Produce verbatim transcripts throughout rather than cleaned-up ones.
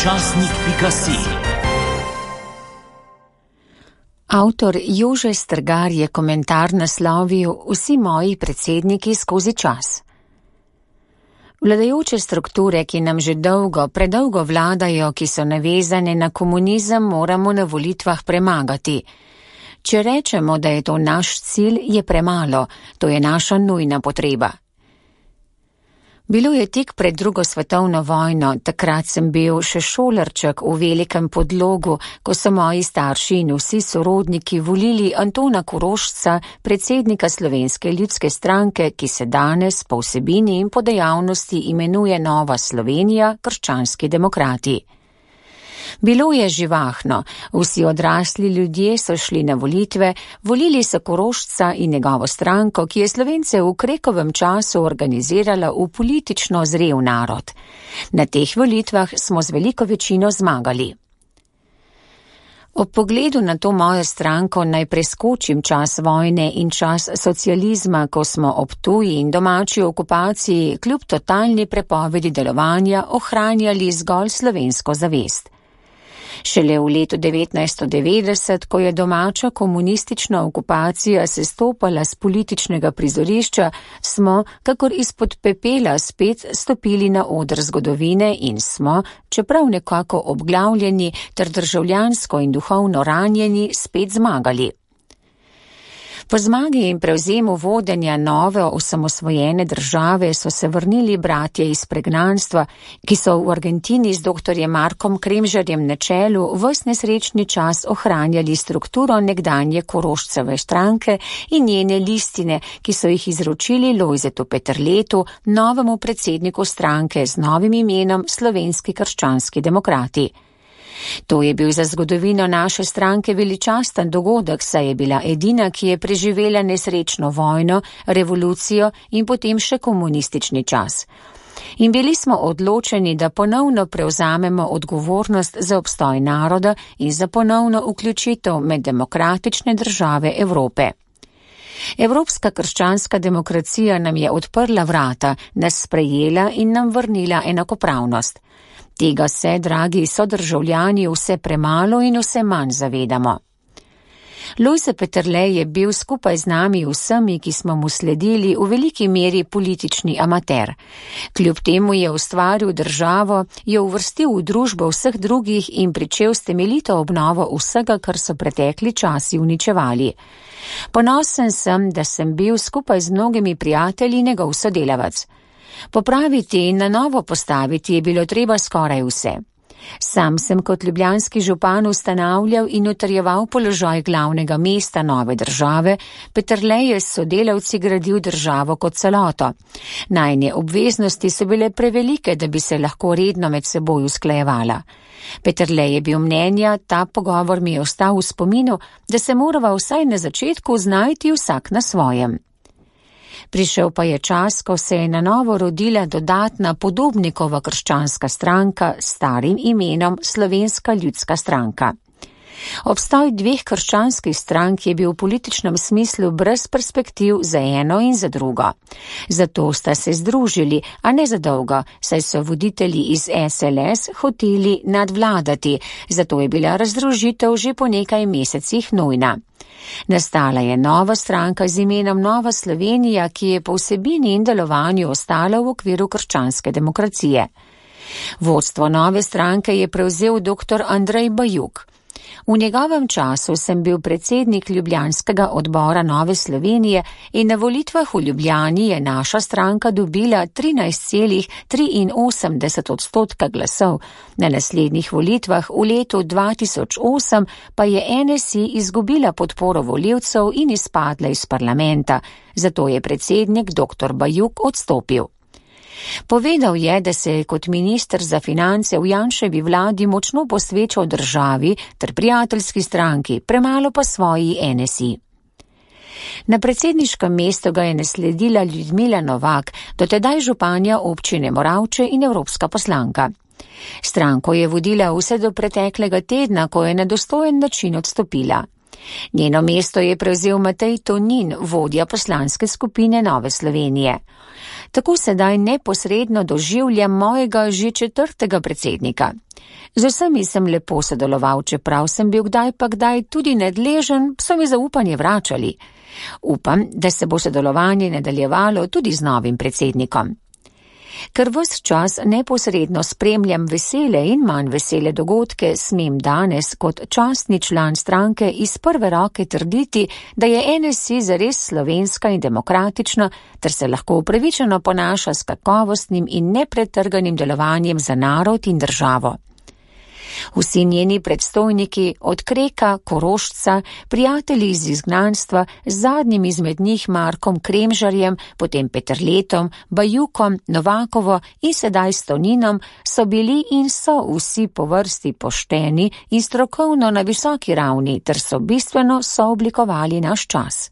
Časnik pika si. Avtor Jože Strgar je komentar naslovil Vsi moji predsedniki skozi čas. Vladajoče strukture, ki nam že dolgo, predolgo vladajo, ki so navezane na komunizem, moramo na volitvah premagati. Če rečemo, da je to naš cilj, je premalo, to je naša nujna potreba. Bilo je tik pred drugo svetovno vojno, takrat sem bil še šolarček v Velikem Podlogu, ko so moji starši in vsi sorodniki volili Antona Korošca, predsednika Slovenske ljudske stranke, ki se danes po vsebini in po dejavnosti imenuje Nova Slovenija, krščanski demokrati. Bilo je živahno, vsi odrasli ljudje so šli na volitve, volili so Korošca in njegovo stranko, ki je Slovence v Krekovem času organizirala v politično zrel narod. Na teh volitvah smo z veliko večino zmagali. Ob pogledu na to mojo stranko naj preskočim čas vojne in čas socializma, ko smo ob tuji in domači okupaciji kljub totalni prepovedi delovanja ohranjali zgolj slovensko zavest. Šele v letu devetnajststo devetdeset, ko je domača komunistična okupacija sestopala z političnega prizorišča, smo, kakor izpod pepela, spet stopili na oder zgodovine in smo, čeprav nekako obglavljeni ter državljansko in duhovno ranjeni, spet zmagali. Po zmagi in prevzemu vodenja nove osamosvojene države so se vrnili bratje iz pregnanstva, ki so v Argentini z doktorjem Markom Kremžarjem na čelu ves nesrečni čas ohranjali strukturo nekdanje Koroščeve stranke in njene listine, ki so jih izročili Lojzetu Peterletu, novemu predsedniku stranke z novim imenom Slovenski krščanski demokrati. To je bil za zgodovino naše stranke veličasten dogodek, saj je bila edina, ki je preživela nesrečno vojno, revolucijo in potem še komunistični čas. In bili smo odločeni, da ponovno prevzamemo odgovornost za obstoj naroda in za ponovno vključitev med demokratične države Evrope. Evropska krščanska demokracija nam je odprla vrata, nas sprejela in nam vrnila enakopravnost. Tega se, dragi sodržavljani, vse premalo in vse manj zavedamo. Lojze Peterle je bil skupaj z nami vsemi, ki smo mu sledili, v veliki meri politični amater. Kljub temu je ustvaril državo, jo uvrstil v družbo vseh drugih in pričel s temeljito obnovo vsega, kar so pretekli časi uničevali. Ponosen sem, da sem bil skupaj z mnogimi prijatelji njegov sodelavec. Popraviti in na novo postaviti je bilo treba skoraj vse. Sam sem kot ljubljanski župan ustanavljal in utrjeval položaj glavnega mesta nove države, Peterle je s sodelavci gradil državo kot celoto. Najine obveznosti so bile prevelike, da bi se lahko redno med seboj usklajevala. Peterle je bil mnenja, ta pogovor mi je ostal v spominu, da se morava vsaj na začetku znajti vsak na svojem. Prišel pa je čas, ko se je na novo rodila dodatna Podobnikova krščanska stranka s starim imenom Slovenska ljudska stranka. Obstoj dveh krščanskih strank je bil v političnem smislu brez perspektiv za eno in za drugo. Zato sta se združili, a ne za dolgo, saj so voditelji iz S L S hoteli nadvladati, zato je bila razdružitev že po nekaj mesecih nujna. Nastala je nova stranka z imenom Nova Slovenija, ki je po vsebini in delovanju ostala v okviru krščanske demokracije. Vodstvo nove stranke je prevzel doktor Andrej Bajuk. V njegovem času sem bil predsednik ljubljanskega odbora Nove Slovenije in na volitvah v Ljubljani je naša stranka dobila trinajst celih triinosemdeset odstotka glasov. Na naslednjih volitvah v letu dva tisoč osem pa je N S I izgubila podporo volivcev in izpadla iz parlamenta, zato je predsednik doktor Bajuk odstopil. Povedal je, da se je kot minister za finance v Janševi vladi močno posvečal državi ter prijateljski stranki, premalo pa svoji N S I. Na predsedniškem mestu ga je nasledila Ljudmila Novak, dotedaj županja občine Moravče in evropska poslanka. Stranko je vodila vse do preteklega tedna, ko je na dostojen način odstopila. Njeno mesto je prevzel Matej Tonin, vodja poslanske skupine Nove Slovenije. Tako sedaj neposredno doživljam mojega že četrtega predsednika. Z vsemi sem lepo sodeloval, čeprav sem bil kdaj pa kdaj tudi nedležen, so mi zaupanje vračali. Upam, da se bo sodelovanje nadaljevalo tudi z novim predsednikom. Ker ves čas neposredno spremljam vesele in manj vesele dogodke, smem danes kot častni član stranke iz prve roke trditi, da je N S I zares slovenska in demokratična, ter se lahko upravičeno ponaša s kakovostnim in nepretrganim delovanjem za narod in državo. Vsi njeni predstojniki, od Kreka, Korošca, prijatelji iz izgnanstva, z zadnjim izmed njih Markom Kremžarjem, potem Peterletom, Bajukom, Novakovo in sedaj Stoninom, so bili in so vsi po vrsti pošteni in strokovno na visoki ravni, ter so bistveno sooblikovali naš čas.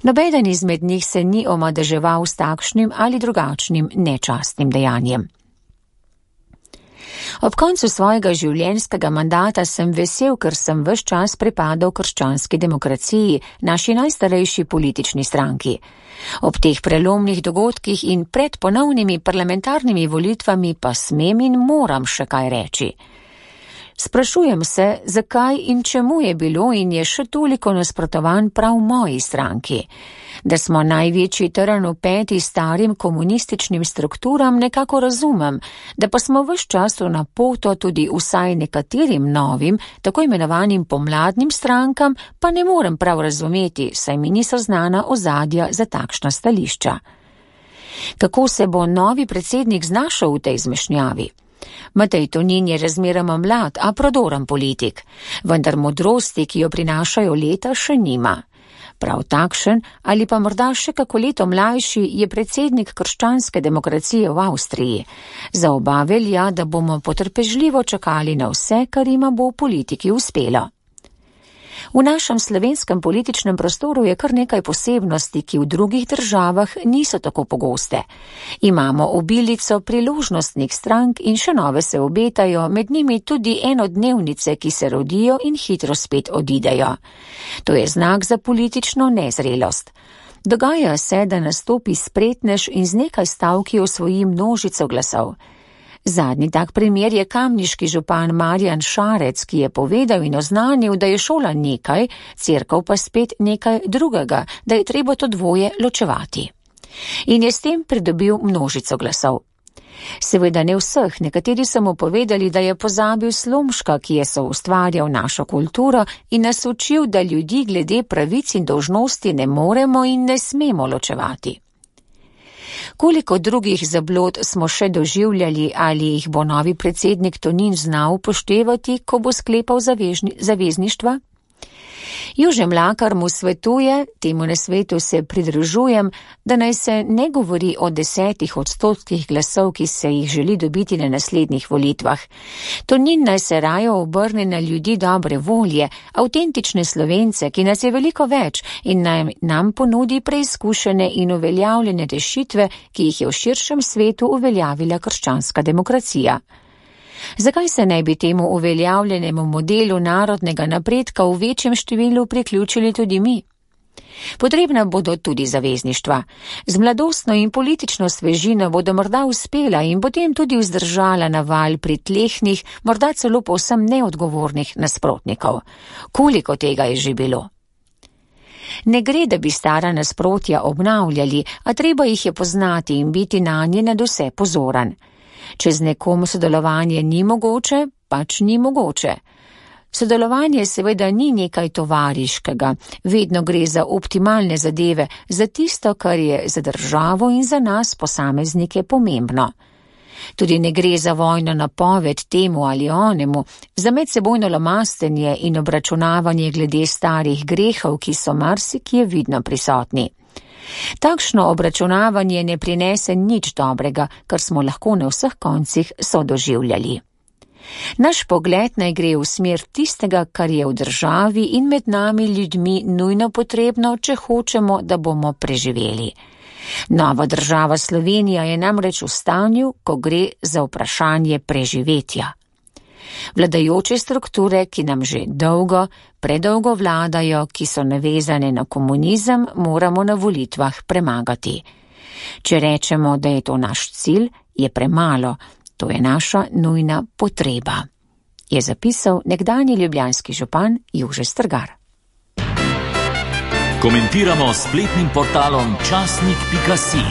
Nobeden izmed njih se ni omadeževal s takšnim ali drugačnim nečastnim dejanjem. Ob koncu svojega življenjskega mandata sem vesel, ker sem ves čas pripadal krščanski demokraciji, naši najstarejši politični stranki. Ob teh prelomnih dogodkih in pred ponovnimi parlamentarnimi volitvami pa smem in moram še kaj reči. Sprašujem se, zakaj in čemu je bilo in je še toliko nasprotovan prav moji stranki. Da smo največji trn v peti starim komunističnim strukturam, nekako razumem, da pa smo ves čas na poto tudi vsaj nekaterim novim, tako imenovanim pomladnim strankam, pa ne morem prav razumeti, saj mi niso znana ozadja za takšna stališča. Kako se bo novi predsednik znašel v tej zmešnjavi? Matej Tonin je razmeroma mlad, a prodoren politik, vendar modrosti, ki jo prinašajo leta, še nima. Prav takšen ali pa morda še kako leto mlajši je predsednik krščanske demokracije v Avstriji. Za oba velja, da bomo potrpežljivo čakali na vse, kar ima bo v politiki uspelo. V našem slovenskem političnem prostoru je kar nekaj posebnosti, ki v drugih državah niso tako pogoste. Imamo obilico priložnostnih strank in še nove se obetajo, med njimi tudi enodnevnice, ki se rodijo in hitro spet odidejo. To je znak za politično nezrelost. Dogaja se, da nastopi spretnež in z nekaj stavki osvoji množico glasov. Zadnji tak primer je kamniški župan Marjan Šarec, ki je povedal in oznanil, da je šola nekaj, cerkev pa spet nekaj drugega, da je treba to dvoje ločevati. In je s tem pridobil množico glasov. Seveda ne vseh, nekateri so mu povedali, da je pozabil Slomška, ki je soustvarjal našo kulturo in nas učil, da ljudi glede pravic in dolžnosti ne moremo in ne smemo ločevati. Koliko drugih zablod smo še doživljali ali jih bo novi predsednik Tonin znal upoštevati, ko bo sklepal zavežni, zavezništva? Jože Mlakar mu svetuje, temu nasvetu se pridružujem, da naj se ne govori o desetih odstotkih glasov, ki se jih želi dobiti na naslednjih volitvah. Tonin naj se raje obrne na ljudi dobre volje, avtentične Slovence, ki nas je veliko več in naj nam ponudi preizkušene in uveljavljene rešitve, ki jih je v širšem svetu uveljavila krščanska demokracija. Zakaj se ne bi temu uveljavljenemu modelu narodnega napredka v večjem številu priključili tudi mi? Potrebna bodo tudi zavezništva. Z mladostno in politično svežino bodo morda uspela in potem tudi vzdržala naval pritlehnih, morda celo povsem neodgovornih nasprotnikov. Koliko tega je že bilo? Ne gre, da bi stara nasprotja obnavljali, a treba jih je poznati in biti nanje nadvse pozoren. Če z nekom sodelovanje ni mogoče, pač ni mogoče. Sodelovanje seveda ni nekaj tovariškega, vedno gre za optimalne zadeve, za tisto, kar je za državo in za nas posameznike pomembno. Tudi ne gre za vojno napoved temu ali onemu, za medsebojno lomastenje in obračunavanje glede starih grehov, ki so marsikje vidno prisotni. Takšno obračunavanje ne prinese nič dobrega, kar smo lahko na vseh koncih sodoživljali. Naš pogled naj gre v smer tistega, kar je v državi in med nami ljudmi nujno potrebno, če hočemo, da bomo preživeli. Nova država Slovenija je namreč v stanju, ko gre za vprašanje preživetja. Vladajoče strukture, ki nam že dolgo, predolgo vladajo, ki so navezane na komunizem, moramo na volitvah premagati. Če rečemo, da je to naš cilj, je premalo. To je naša nujna potreba, je zapisal nekdanji ljubljanski župan Jože Strgar. Komentiramo s spletnim portalom časnik pika si.